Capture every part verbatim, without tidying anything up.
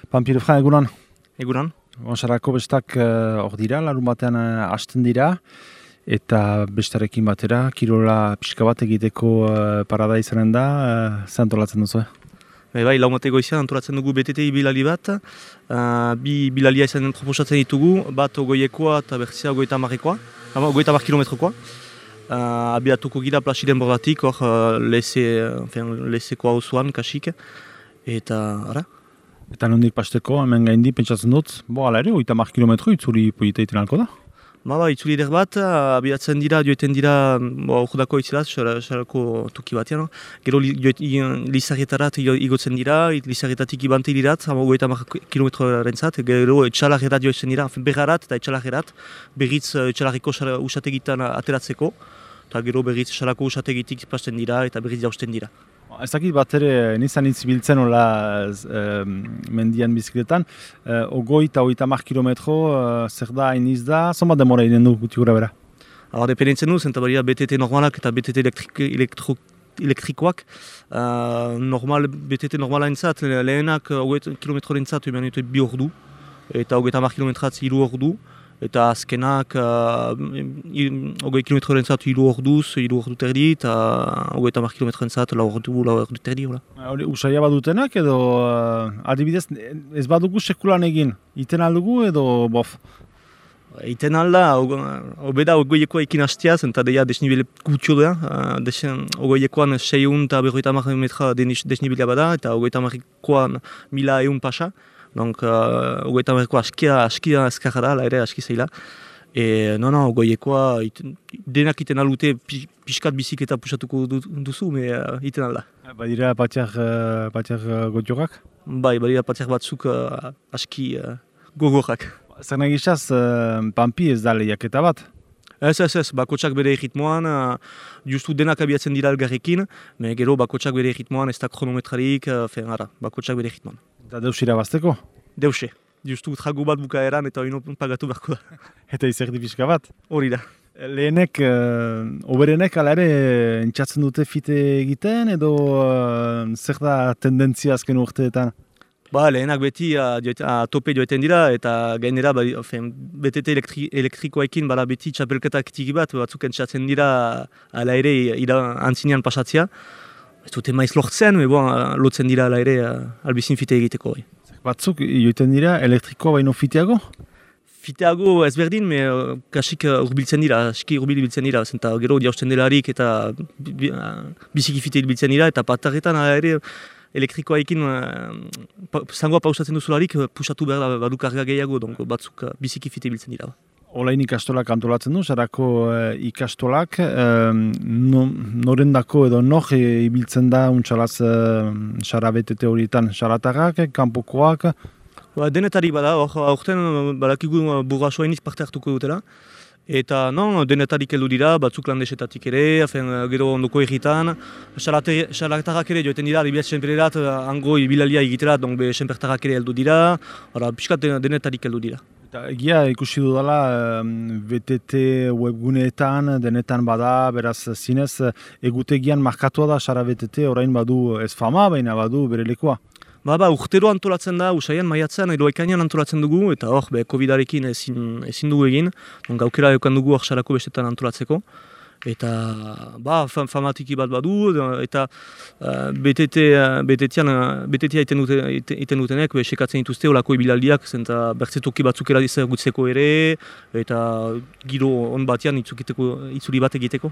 Pampire Fran, egunan? Egunan. Onsarako bestak hor uh, dira, larun batean uh, hasten dira, eta bestarekin batera, kirola pixka bat egiteko uh, parada izanen da, uh, zer antolatzen duzu? Bai, bai, laumate goizean antolatzen dugu B T T bilali bat, uh, bi bilalia izanen proposatzen ditugu, bat ogoiekoa eta berzia ogoita marrekoa, ogoita mar kilometrokoa. Uh, abiatuko gira Plaziden bordatik, hor uh, leze, enfin, lezeko hau zuan, kasik, eta ara. Eta nondik pasteko, hemen gaindi, pentsatzen dut, bo, ala ere, oita mar kilometro itzuli polita iten alko da? Ba, ba, itzuli eder bat, abiatzen dira, joeten dira, bo, urdako itzilaz, xarako tuki batean. Gero li, lizarretarat igotzen dira, lizarretatik ibante dirat, oita mar kilometroaren zat, gero etxalarrerat joetzen dira, berrarat eta etxalarrerat, berriz etxalarreko usategitan ateratzeko, eta gero berriz xarako usategitik pasten dira eta berriz jausten dira. Ez dakit bat ere, nizan itzibiltzen hola e, mendian bizikletan, e, ogoi eta oita mar kilometro, e, zer da, hainiz da, zonbat demora inen du guti gura bera? Hor, dependentzen du, zenta baria B T T normalak eta B T T elektrik, elektro, elektrikoak. Uh, normal, B T T normala entzat, lehenak ogoi kilometro entzat, eman dute bi ordu, eta ogoi eta mar kilometratz hiru ordu. Eta azkenak ogoi uh, kilometroren zatu hiru orduz, hiru ordu terdi, eta ogoi eta mar kilometroren zatu lau ordu, lau ordu terdi. Hori usaila badutenak edo uh, adibidez ez badugu sekulan egin, iten aldugu edo bof? Iten alda, obeda ogoiekoa ekin hastiaz, eta deia desnibile gutxo da. Uh, ogoiekoan seiehun eta berrogeita hamar metra desnibilea bada, eta ogoita hamarikoan mila ehun pasa. Donc, uh, ogoita hamarikoa askia, askia azkarra da, ere aski zeila. E, no, no, ogoiekoa denak iten alute pixkat bizikleta pusatuko duzu, me uh, iten alda. Badira patiak, uh, patiak uh, gotiorak? Bai, badira patiak batzuk uh, aski uh, gogorak. Zer nahi gizaz, uh, Pampi ez da lehiaketa bat? Ez, ez, ez, bakotsak bere erritmoan, uh, justu denak abiatzen dira elgarrekin, me gero bakotsak bere erritmoan, ez da kronometrarik, uh, fen, ara, bakotsak bere erritmoan. Eta deus irabazteko? Deuse, justu trago bat bukaeran eta hori pagatu beharko da. Eta izerdi pixka bat? Hori da. Lehenek, uh, oberenek ala ere entzatzen dute fite egiten edo uh, zer da tendentzia azken urteetan? Ba, lehenak beti a, a, tope joeten dira eta gainera ba, B T T elektri, elektrikoekin bala beti txapelketak tiki bat, batzuk entzatzen dira ala ere ira antzinean pasatzea. Ez dute maiz lortzen, me bon, lotzen dira ala ere albizin fite egiteko. Bai. Batzuk joiten dira elektrikoa baino fiteago? Fiteago ezberdin, me kasik urbiltzen dira, aski urbil biltzen dira, zenta gero jausten delarik eta biziki fite biltzen dira, eta patarretan ala ere elektrikoaekin uh, zangoa pausatzen duzularik pusatu behar da badu karga gehiago, donc batzuk uh, biziki fite biltzen dira. Olain ikastolak antolatzen du, sarako uh, ikastolak, uh, no, norendako edo nor e, ibiltzen da untxalaz uh, sara B T T horietan, saratarrak, kanpokoak? Ba, denetari bada, aurten badakigu burrasoa iniz parte hartuko dutela. Eta non, denetarik heldu dira, batzuk landesetatik ere, afen, gero ondoko erritan. Xalatarrak ere joeten dira, ibiaz senpererat, hango ibilalia egiterat, donc be senpertarrak ere heldu dira. Hora, piskat denetarik heldu dira. Eta egia ikusi dudala B T T webguneetan, denetan bada, beraz zinez, egutegian markatua da Sara B T T, orain badu ez fama, baina badu bere lekoa. Ba, ba, urtero antolatzen da, usaian, maiatzen, edo ekainan antolatzen dugu, eta hor, be, covidarekin ezin, ezin dugu egin, gaukera eukan dugu hor sarako bestetan antolatzeko. Eta, ba, fam, famatiki bat badu, eta uh, B T T, B T T iten, dute, iten dutenek, be, sekatzen dituzte olako ibilaldiak, zenta bertzetoki batzukera gutzeko ere, eta giro on batean itzuli bat egiteko.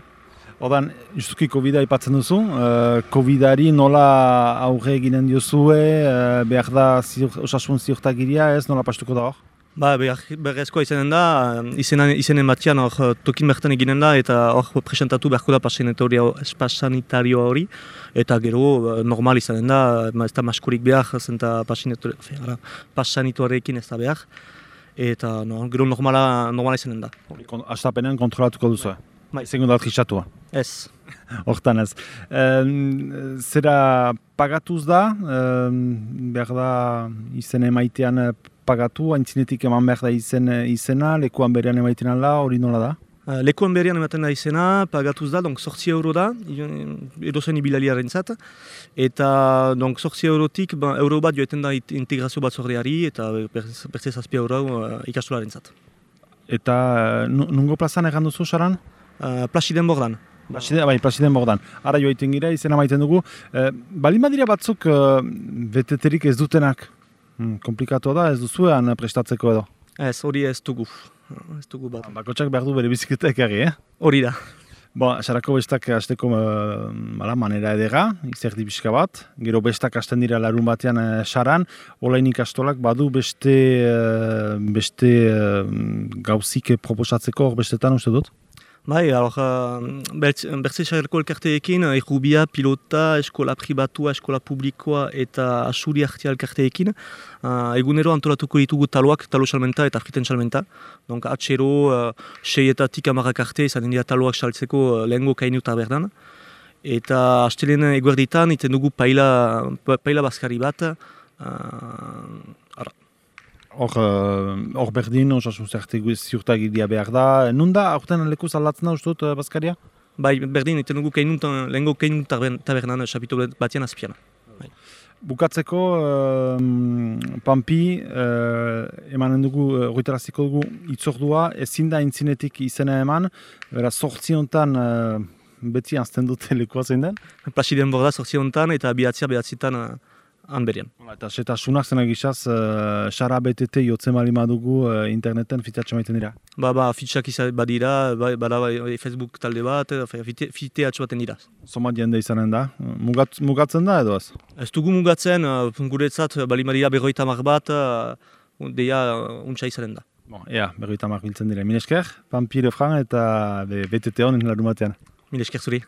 Odan, justuki Covida aipatzen duzu, uh, Covidari nola aurre eginen diozue, uh, behar da ziur, osasun ziurtagiria ez, nola pastuko da hor? Ba, berrezkoa izanen da, izenen, izenen batian hor tokin bertan eginen da, eta hor presentatu beharko da pasanitario hori, eta gero normal izanen da, ez da maskorik behar, zenta pasanituarekin ez da behar, eta no, gero normala, normala izanen da. Astapenean kontrolatuko duzu? Zengo da trisatua? Ez. Hortan ez. Um, zera pagatuz da, um, behar da izen emaitean pagatu, haintzinetik eman behar da izen, izena, lekuan berean emaiten ala, hori nola da? Uh, Lekuan berrian ematen da izena, pagatuz da, donc sortzi euro da, edozen ibilaliaren zat. Eta donc sortzi eurotik, ba, euro bat joeten da integrazio batzordeari eta bertze zazpi euro uh, ikastolaren zat. Eta uh, nungo plazan egan duzu, Saran? Uh, Plasiden bordan. Plasiden, bai, Plasiden bordan. Ara joiten gira, izena maiten dugu. Eh, Balin badira batzuk uh, beteterik ez dutenak. Hmm, komplikatu da, ez duzuean prestatzeko edo? Ez, hori ez dugu. Ez dugu bat. Bakotxak behar du bere bizikleta ekarri, eh? Hori da. Bon, sarako bestak hasteko uh, manera edera, izerdi pixka bat. Gero bestak hasten dira larun batean uh, saran. Olain ikastolak badu beste, uh, beste uh, gauzik proposatzeko hor bestetan uste dut? Bai, alor, uh, bertze sarreko elkarteekin, errubia, pilota, eskola pribatua, eskola publikoa eta asuri artea elkarteekin. Uh, egunero antolatuko ditugu taloak, talo salmenta eta friten salmenta. Donc, atxero, uh, seietatik amarrak arte, izan dira taloak saltzeko uh, lehengo kainu tabernan. Eta astelen eguerditan, iten dugu paila, paila bazkari bat. Uh, Hor, hor berdin, osasun ziurtagiria behar da. Nun da, aurten lekuz aldatzen da, uste dut, bazkaria? Bai, berdin, iten dugu lehengo kainu tabernan, xapito batian azpian. Bai. Bukatzeko, um, Pampi, uh, emanen dugu, horretaraziko dugu itzordua, ezin da intzinetik izena eman, bera, sortzi hontan uh, beti azten dute lekua zein den? Plasiden borda sortzi hontan eta bihatzia behatzitan uh, han berian. Eta eta sunak zenak izaz, uh, Sara B T T jotzen bali madugu uh, interneten fitatxe maiten dira? Ba, ba, fitxak izan badira, bada ba, Facebook talde bat, fite atxo baten dira. Somat jende izanen da, Mugat, mugatzen da edo ez? Ez dugu mugatzen, uh, guretzat, bali madira berroita mar bat, uh, deia uh, untsa izanen da. Bon, ea, berroita mar biltzen dira. Minesker, Pampi Lefran eta B T T honen larun batean. Minesker zuri.